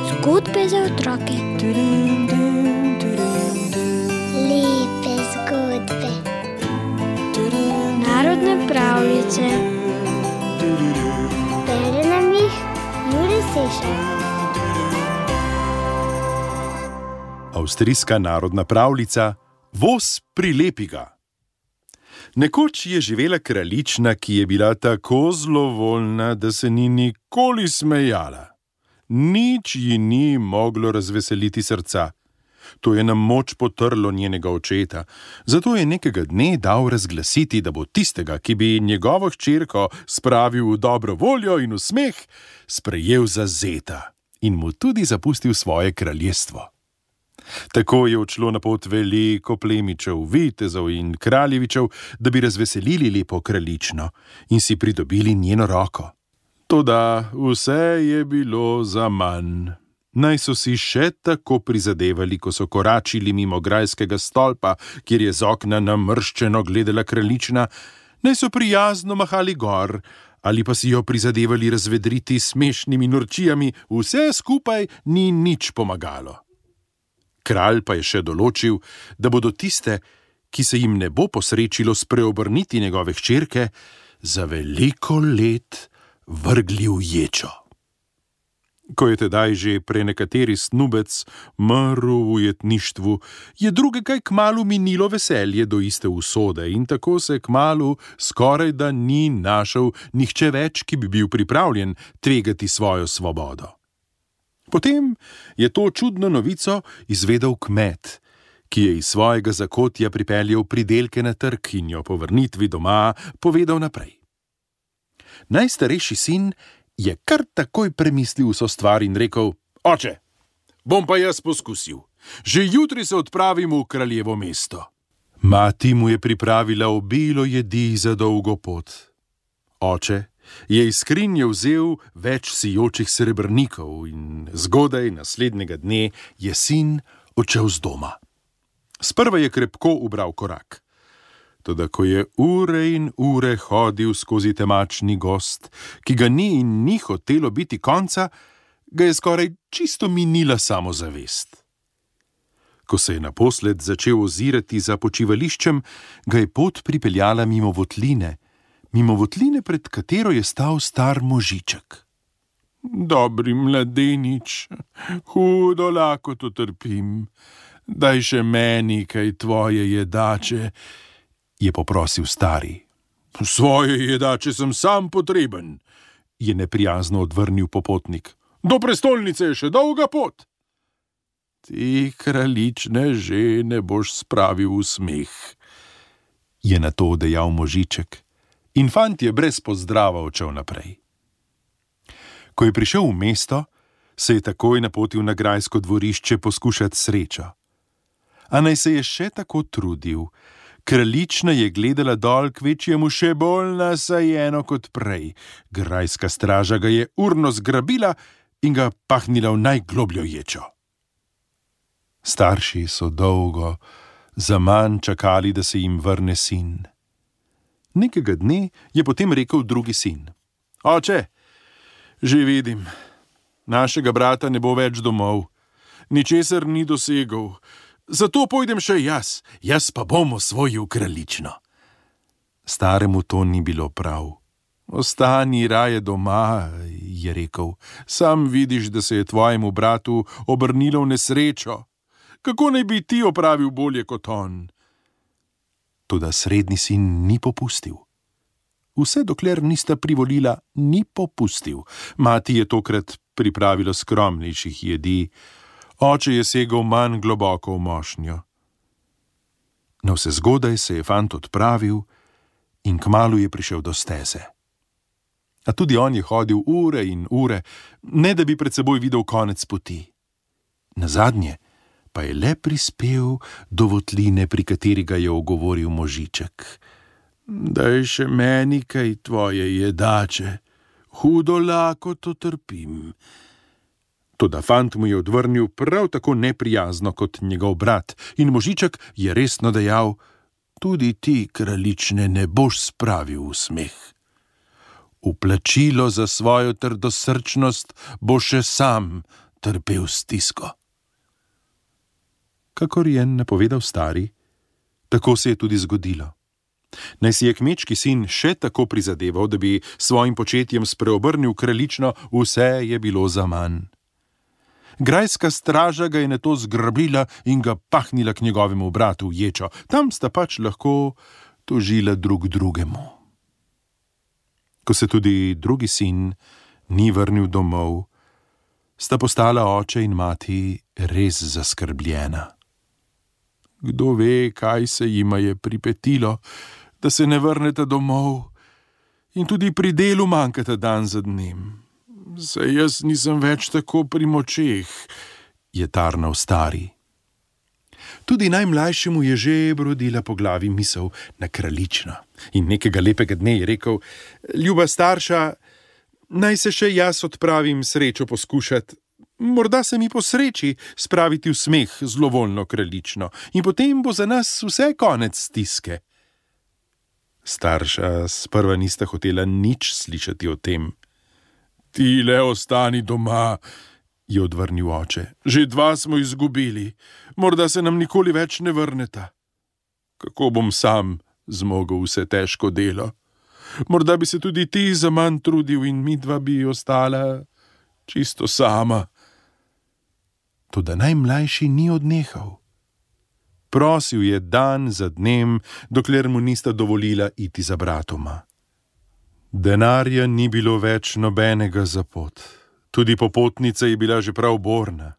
Zgodbe za otroke. Lepe zgodbe. Narodne pravljice. Bere nam jih Jure Sešar. Avstrijska narodna pravljica Voz prilepi ga. Nekoč je živela kraljična, ki je bila tako zlovoljna, da se ni nikoli smejala. Nič ji ni moglo razveseliti srca. To je na moč potrlo njenega očeta, zato je nekega dne dal razglasiti, da bo tistega, ki bi njegovo hčerko spravil v dobro voljo in v smeh, sprejel za zeta in mu tudi zapustil svoje kraljestvo. Tako je odšlo na pot veliko plemičev, vitezov in kraljevičev, da bi razveselili lepo kraljično in si pridobili njeno roko. Toda vse je bilo zaman. Naj so si še tako prizadevali, ko so koračili mimo grajskega stolpa, kjer je z okna namrščeno gledala kraljična, naj so prijazno mahali gor, ali pa si jo prizadevali razvedriti s smešnimi norčijami, vse skupaj ni nič pomagalo. Kralj pa je še določil, da bodo tiste, ki se jim ne bo posrečilo spreobrniti njegove hčerke, za veliko let vrgli v ječo. Ko je tedaj že prenekateri snubec mrl v ujetništvu, je druge kaj kmalu minilo veselje do iste usode in tako se kmalu skoraj da ni našel nihče več, ki bi bil pripravljen tvegati svojo svobodo. Potem je to čudno novico izvedel kmet, ki je iz svojega zakotja pripeljal pridelke na trg in jo po vrnitvi doma povedal naprej. Najstarejši sin je kar takoj premislil vso stvar in rekel: Oče, bom pa jaz poskusil. Že jutri se odpravim v kraljevo mesto. Mati mu je pripravila obilo jedi za dolgo pot. Oče je iz skrinje vzel več sijočih srebrnikov in zgodaj naslednjega dne je sin odšel z doma. Sprva je krepko ubral korak. Toda ko je ure in ure hodil skozi temačni gozd, ki ga ni in ni hotelo biti konca, ga je skoraj čisto minila samozavest. Ko se je naposled začel ozirati za počivališčem, ga je pot pripeljala mimo votline, pred katero je stal star možiček. Dobri mladenič, hudo lakoto trpim, daj še meni kaj tvoje jedače, je poprosil stari. Svoje jedače sem sam potreben, je neprijazno odvrnil popotnik. Do prestolnice je še dolga pot. Ti kraljične žene boš spravil v smeh, je na to dejal možiček. In fant je brez pozdrava odšel naprej. Ko je prišel v mesto, se je takoj napotil na grajsko dvorišče poskušati srečo. A naj se je še tako trudil, kraljična je gledala dol kvečjemu še bolj nasajeno kot prej. Grajska straža ga je urno zgrabila in ga pahnila v najglobljo ječo. Starši so dolgo zaman čakali, da se jim vrne sin. Nekega dne je potem rekel drugi sin. Oče, že vidim, našega brata ne bo več domov, ničesar ni dosegel, zato pojdem še jaz pa bom osvojil kraljično. Staremu to ni bilo prav. Ostani raje doma, je rekel, sam vidiš, da se je tvojemu bratu obrnilo v nesrečo. Kako naj bi ti opravil bolje kot on? Toda srednji sin ni popustil. Vse dokler nista privolila, ni popustil. Mati je tokrat pripravila skromnejših jedi, oče je segel manj globoko v mošnjo. Navsezgodaj se je fant odpravil in kmalu je prišel do steze. A tudi on je hodil ure in ure, ne da bi pred seboj videl konec poti. Nazadnje pa je le prispel do votline, pri kateri ga je ogovoril možiček. Daj še meni kaj tvoje jedače, hudo lakoto trpim. Toda fant mu je odvrnil prav tako neprijazno kot njegov brat in možiček je resno dejal: Tudi ti, kraljične, ne boš spravil v smeh. V plačilo za svojo trdosrčnost bo še sam trpel stisko. Kakor je napovedal stari, tako se je tudi zgodilo. Naj si je kmečki sin še tako prizadeval, da bi svojim početjem spreobrnil kraljično, vse je bilo zaman. Grajska straža ga je nato zgrabila in ga pahnila k njegovemu bratu v ječo. Tam sta pač lahko tožila drug drugemu. Ko se tudi drugi sin ni vrnil domov, sta postala oče in mati res zaskrbljena. Kdo ve, kaj se jima je pripetilo, da se ne vrneta domov in tudi pri delu manjkata dan za dnem. Saj jaz nisem več tako pri močeh, je tarnal stari. Tudi najmlajšemu je že brodila po glavi misel na kraljično. In nekega lepega dne je rekel: ljuba starša, naj se še jaz odpravim srečo poskušati. Morda se mi posreči spraviti v smeh zlovoljno kraljično in potem bo za nas vse konec stiske. Starša sprva nista hotela nič slišati o tem. Ti le ostani doma, je odvrnil oče. Že 2 smo izgubili, morda se nam nikoli več ne vrneta. Kako bom sam zmogel vse težko delo? Morda bi se tudi ti za manj trudil in midva bi ostala čisto sama. Toda najmlajši ni odnehal. Prosil je dan za dnem, dokler mu nista dovolila iti za bratoma. Denarja ni bilo več nobenega za pot. Tudi popotnica je bila že prav borna.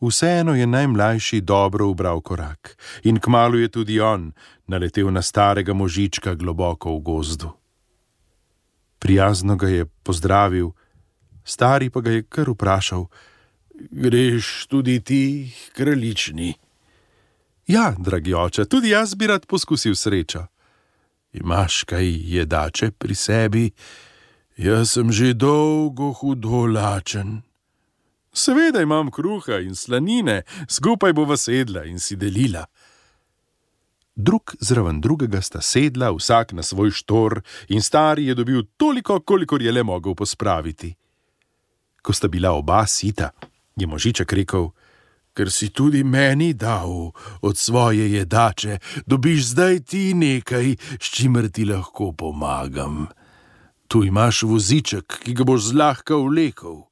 Vseeno je najmlajši dobro ubral korak in kmalu je tudi on naletel na starega možička globoko v gozdu. Prijazno ga je pozdravil, stari pa ga je kar vprašal: greš tudi ti, kraljični? Ja, dragi oče, tudi jaz bi rad poskusil srečo. Imaš kaj jedače pri sebi? Jaz sem že dolgo hudo lačen. Seveda imam kruha in slanine, skupaj bova sedla in si delila. Drug zraven drugega sta sedla, vsak na svoj štor, in stari je dobil toliko, kolikor je le mogel pospraviti. Ko sta bila oba sita, je možiček rekel: ker si tudi meni dal od svoje jedače, dobiš zdaj ti nekaj, s čimer ti lahko pomagam. Tu imaš voziček, ki ga boš zlahka vlekel.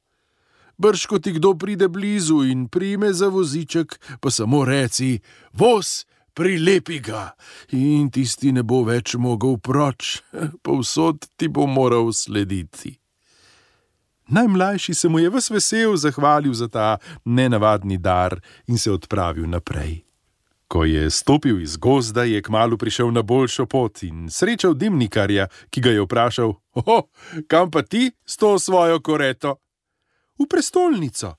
Brž ko ti kdo pride blizu in prime za voziček, pa samo reci: voz, prilepi ga, in tisti ne bo več mogel proč, povsod ti bo moral slediti. Najmlajši se mu je ves vesel zahvalil za ta nenavadni dar in se odpravil naprej. Ko je stopil iz gozda, je kmalu prišel na boljšo pot in srečal dimnikarja, ki ga je vprašal: kam pa ti s to svojo koreto? V prestolnico,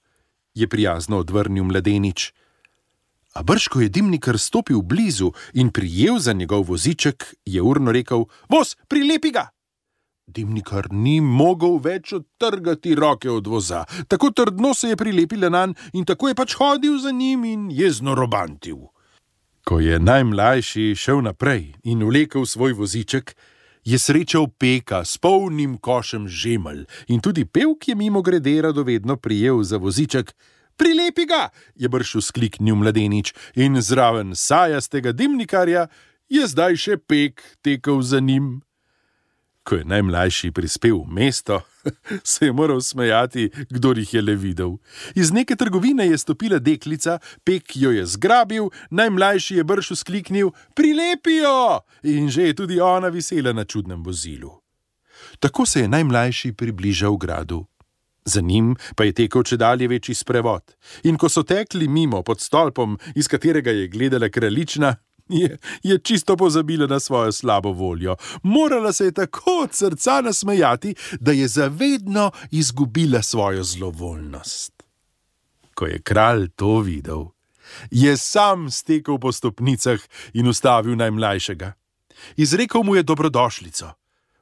je prijazno odvrnil mladenič. A brž ko je dimnikar stopil blizu in prijel za njegov voziček, je urno rekel: voz, prilepi ga! Dimnikar ni mogel več odtrgati roke od voza, tako trdno se je prilepila nanj in tako je pač hodil za njim in jezno robantil. Ko je najmlajši šel naprej in vlekel svoj voziček, je srečal peka s polnim košem žemelj in tudi pevk je mimogrede radovedno prijel za voziček. Prilepi ga, je brž vzkliknil mladenič, in zraven sajastega dimnikarja je zdaj še pek tekel za njim. Ko je najmlajši prispel v mesto, se je moral smejati, kdor jih je le videl. Iz neke trgovine je stopila deklica, pek jo je zgrabil, najmlajši je brž vzkliknil: prilepi jo! In že je tudi ona visela na čudnem vozilu. Tako se je najmlajši približal gradu. Za njim pa je tekel čedalje večji sprevod. In ko so tekli mimo pod stolpom, iz katerega je gledala kraljična, je čisto pozabila na svojo slabo voljo. Morala se je tako od srca nasmejati, da je zavedno izgubila svojo zlovoljnost. Ko je kralj to videl, je sam stekel po stopnicah in ustavil najmlajšega. Izrekel mu je dobrodošlico.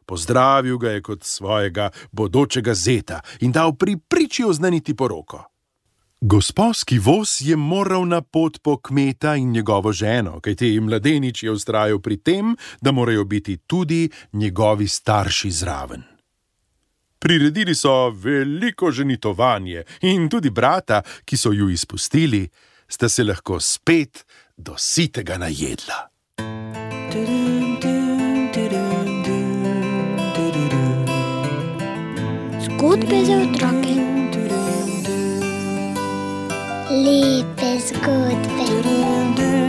Pozdravil ga je kot svojega bodočega zeta in dal pri priči oznaniti poroko. Gosposki voz je moral na pot po kmeta in njegovo ženo, kajti mladenič je vztrajal pri tem, da morajo biti tudi njegovi starši zraven. Priredili so veliko ženitovanje in tudi brata, ki so ju izpustili, sta se lahko spet do sitega najedla. Zgodbe za otroke. Lepe zgodbe.